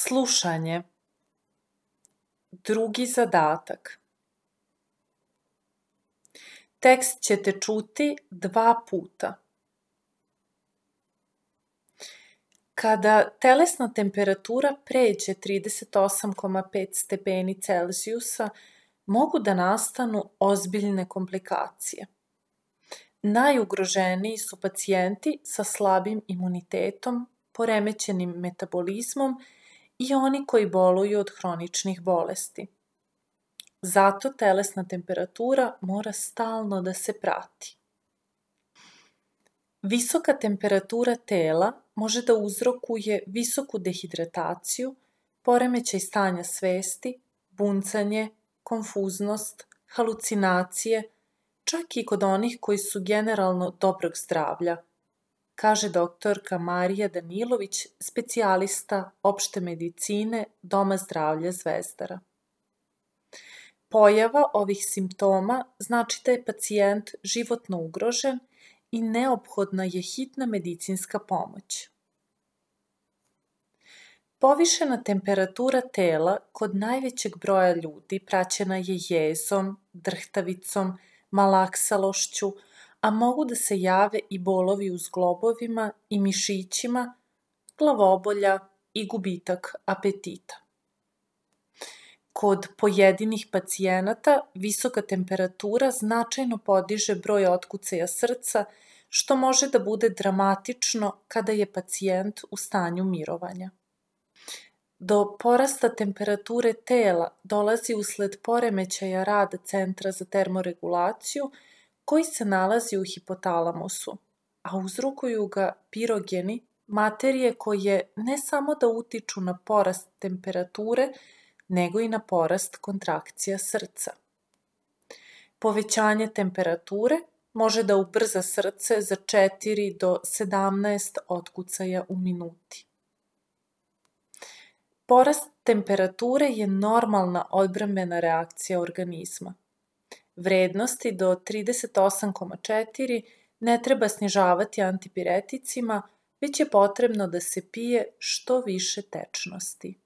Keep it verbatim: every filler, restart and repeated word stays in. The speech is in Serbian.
Slušanje. Drugi zadatak. Tekst ćete čuti dva puta. Kada telesna temperatura pređe trideset osam zarez pet stepeni Celzijusa, mogu da nastanu ozbiljne komplikacije. Najugroženiji su pacijenti sa slabim imunitetom, poremećenim metabolizmom i oni koji boluju od hroničnih bolesti. Zato telesna temperatura mora stalno da se prati. Visoka temperatura tela može da uzrokuje visoku dehidrataciju, poremećaj stanja svesti, buncanje, konfuznost, halucinacije, čak i kod onih koji su generalno dobrog zdravlja, kaže doktorka Marija Danilović, specijalista opšte medicine Doma zdravlja Zvezdara. Pojava ovih simptoma znači da je pacijent životno ugrožen i neophodna je hitna medicinska pomoć. Povišena temperatura tela kod najvećeg broja ljudi praćena je jezom, drhtavicom, malaksalošću, a mogu da se jave i bolovi u zglobovima i mišićima, glavobolja i gubitak apetita. Kod pojedinih pacijenata visoka temperatura značajno podiže broj otkucaja srca, što može da bude dramatično kada je pacijent u stanju mirovanja. Do porasta temperature tela dolazi usled poremećaja rada centra za termoregulaciju, koji se nalazi u hipotalamusu, a uzrokuju ga pirogeni, materije koje ne samo da utiču na porast temperature, nego i na porast kontrakcija srca. Povećanje temperature može da ubrza srce za četiri do sedamnaest otkucaja u minuti. Porast temperature je normalna odbrambena reakcija organizma. Vrednosti do trideset osam zarez četiri ne treba snižavati antipireticima, već je potrebno da se pije što više tečnosti.